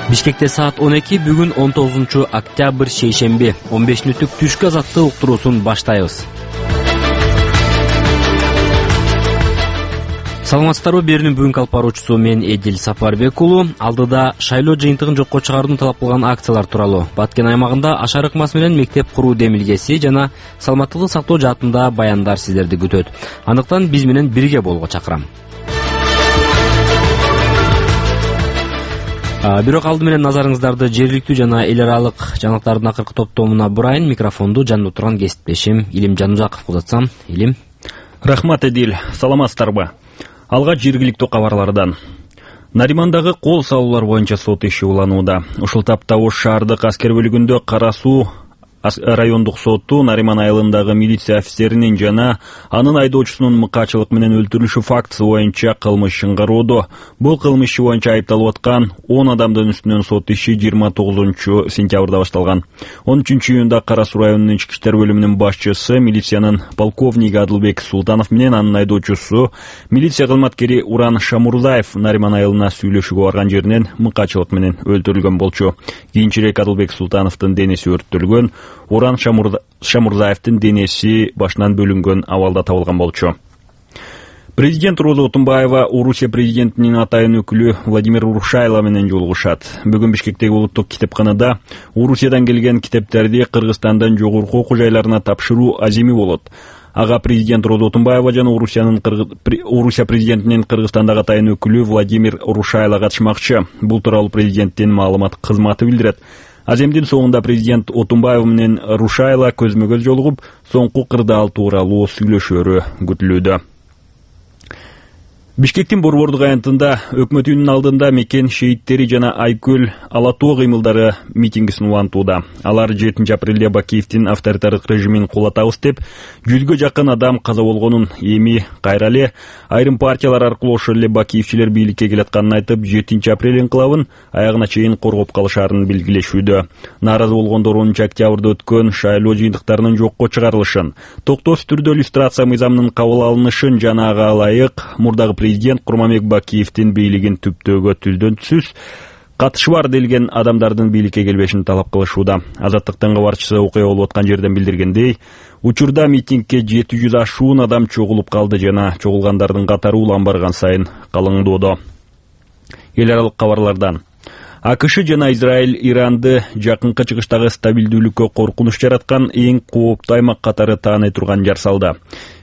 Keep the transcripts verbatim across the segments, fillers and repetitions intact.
Бишкекте саат он эки, бүгүн он тогузунчу октябрь шейшемби. он беш мүнөттүк түшкү азаттык уктуруусун баштайбыз. Саламатсыздарбы, берүүнүн бүгүнкү алып баруучусу мен Эдил Сапарбек уулу. Алдыда шайлоо жыйынтыгын жокко чыгарууну талап кылган акциялар тууралуу Баткен аймагында ашар ыкмасы менен мектеп куруу демилгеси жана саламаттыкты сактоо жаатында баяндар сиздерди күтөт. Андыктан биз менен бирге болууга чакырам. Бирок алды менен назарыңыздарды жергиликтүү жана эл аралык жаңылыктардын акыркы топтомуна бурайын. Микрофонду жанында отурган кесиптешим Илим Жанузаковго узатсам. Илим. Рахмат, Эдил. Саламатсыздарбы? Алгач жергиликтүү кабарлардан. Наримандагы кол салуулар боюнча сот иши уланууда. Ушул тапта Ош шаардык аскер бөлүгүндө Кара Суу райондук соту Нариман айылындагы милиция офицеринин жана анын айдоочусунун мыкаачылык менен өлтүрүлүшү фактысы боюнча кылмыш чыңгарууда. Бул кылмыш иши боюнча айыпталып аткан он адамдын үстүнөн сот иши жыйырма тогузунчу сентябрда башталган. он үчүнчү июнда Кара Суу районунун ички иштер бөлүмүнүн башчысы, милициянын полковниги Адылбек Султанов менен анын айдоочусу, милиция кызматкери Уран Шамурзаев Нариман айылына сүйлөшүүгө барган жеринен мыкаачылык менен өлтүрүлгөн болчу. Кийинчерээк Адылбек Султановдун денеси өрттөлгөн, Уран Шамурзаевдин денеси башынан бөлүнгөн абалда табылган болчу. Президент Роза Отунбаева Орусия президентинин атайын өкүлү Владимир Урушайло менен жолугушат. Бүгүн Бишкектеги улуттук китепканада Орусиядан келген китептерди Кыргызстандын жогорку окуу жайларына тапшыруу аземи болот. Ага президент Роза Отунбаева жана Орусиянын Орусия президентинин Кыргызстандагы атайын өкүлү Владимир Урушайло катышмакчы. Бул тууралуу президенттин маалымат кызматы билдирет. Аземдин соңунда президент Отунбаев менен Рушайло көзмө-көз жолугуп, соңку кырдаал тууралуу сүйлөшөөрү күтүлүүдө. Бишкектин Борбордук аянтында өкмөт үйүнүн алдында мекен шейиттери жана Айкөл ала тоо кыймылдары митингисин улантууда. Алар жетинчи апрелде Бакиевдин авторитардык режимин кулатабыз деп, жүзгө жакын адам каза болгонун, эми кайра эле айрым партиялар аркылуу ошол эле Бакиевчилер бийликке келатканын айтып, жетинчи апрель инкылабын аягына чейин коргоп калышаарын белгилешүүдө. Нааразы болгондор онунчу октябрда өткөн шайлоо жыйынтыктарынын жокко чыгарылышын, токтоосуз түрдө иллюстрация мыйзамынын кабыл алынышын жана ага ылайык мурдагы президент Курманбек Бакиевдин бийлигин түптөөгө түздөн түзсүз катышы бар делген адамдардын бийликке келбешин талап кылышууда. Азаттыктын кабарчысы окуя болуп аткан жерден билдиргендей, учурда митингге жети жүз ашуун адам чогулуп калды жана чогулгандардын катары улам барган сайын калыңдоодо. Эл аралык кабарлардан. АКШ жана Израиль Иранды жакынкы чыгыштагы стабилдүүлүккө коркунуч жараткан эң кооптуу аймак катары тааный турган жар салды.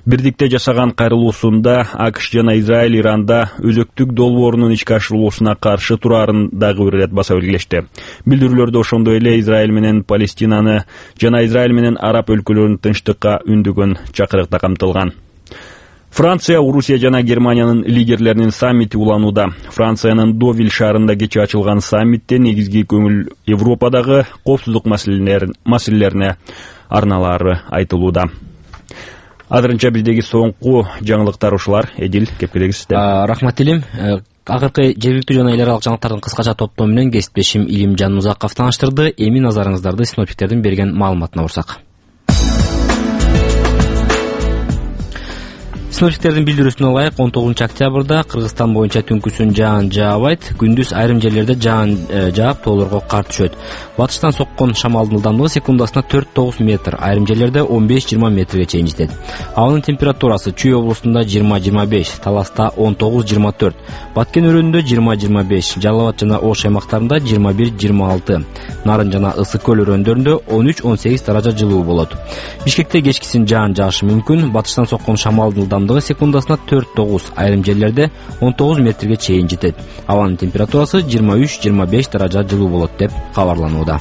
Бирдикте жашаган кайрылуусунда АКШ жана Израиль Иранда өзөктүк долбоорунун ишке ашырылуусуна каршы тураарын дагы бир ирет баса белгилешти. Билдирүүлөрдө ошондой эле Израиль менен Палестинаны жана Израиль менен араб өлкөлөрүн тынчтыкка үндөгөн чакырык да камтылган. Франция, Орусия жана Германиянын лидерлеринин саммити уланууда. Франциянын Довиль шаарында кечээ ачылган саммитте негизги көңүл Европадагы коопсуздук маселелерине арналары айтылууда. Азырынча биздеги соңку жаңылыктар ушулар. Эдил, кепкелеги сизде. Рахмат, Илим. Акыркы жергиликтүү жана эл аралык жаңылыктардын кыскача топтому менен кесиптешим Илим Жанузаков тааныштырды. Эми назарыңыздарды синоптиктердин берген маалыматына бурсак. Синоптиктердин билдирүүсүнө ылайык он тогузунчу октябрда Кыргызстан боюнча түнкүсүн жаан жаабайт, күндүз айрым жерлерде жаан жаап тоолорго кар түшөт. Батыштан соккон шамалдын ылдамдыгы секундасына төрт тогуз метр, айрым жерлерде он беш жыйырма метрге чейин жетет. Абанын температурасы Чүй облусунда жыйырма жыйырма беш, Таласта он тогуз жыйырма төрт, Баткен өрөөнүндө жыйырма жыйырма беш, Жалал Абад жана Ош аймактарында жыйырма бир жыйырма алты, Нарын жана Ысык көл өрөөндөрүндө он үч он сегиз даража жылуу болот. Бишкекте кечкисин жаан жаашы мүмкүн, батыштан соккон шамалдын ылдамдыгы секундасына төрт тогуз, айрым жерлерде он тогуз метрге чейин жетет. Абанын температурасы жыйырма үч жыйырма беш даража жылуу болот деп кабарланууда.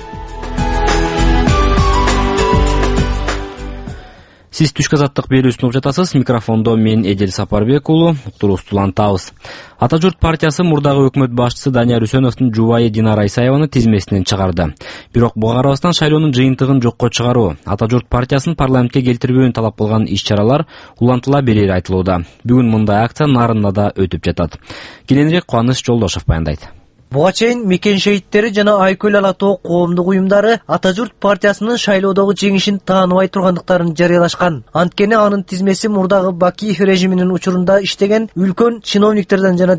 Сиз түшкү азаттык берүүсүн угуп жатасыз. Микрофондо мен Эдил Сапарбек уулу, уктуруубузду улантабыз. Ата журт партиясы мурдагы өкмөт башчысы Данияр Үсөновдун жубайы Динара Исаеваны тизмесинен чыгарды. Бирок буга карабастан шайлоонун жыйынтыгын жокко чыгаруу, Ата журт партиясын парламентке келтирбөөнү талап кылган иш-чаралар улантыла берери айтылууда. Бүгүн мындай акция Нарында да өтүп жатат. Кененирээк Кубаныч Жолдошов баяндайт. Буга чейин мекен шейиттери жана Айкөл ала тоо коомдук уюмдары Ата журт партиясынын шайлоодогу жеңишин тааныбай тургандыктарын жарыялашкан. Анткени анын тизмеси мурдагы Бакиев режиминин учурунда иштеген үлкөн чиновниктерден жана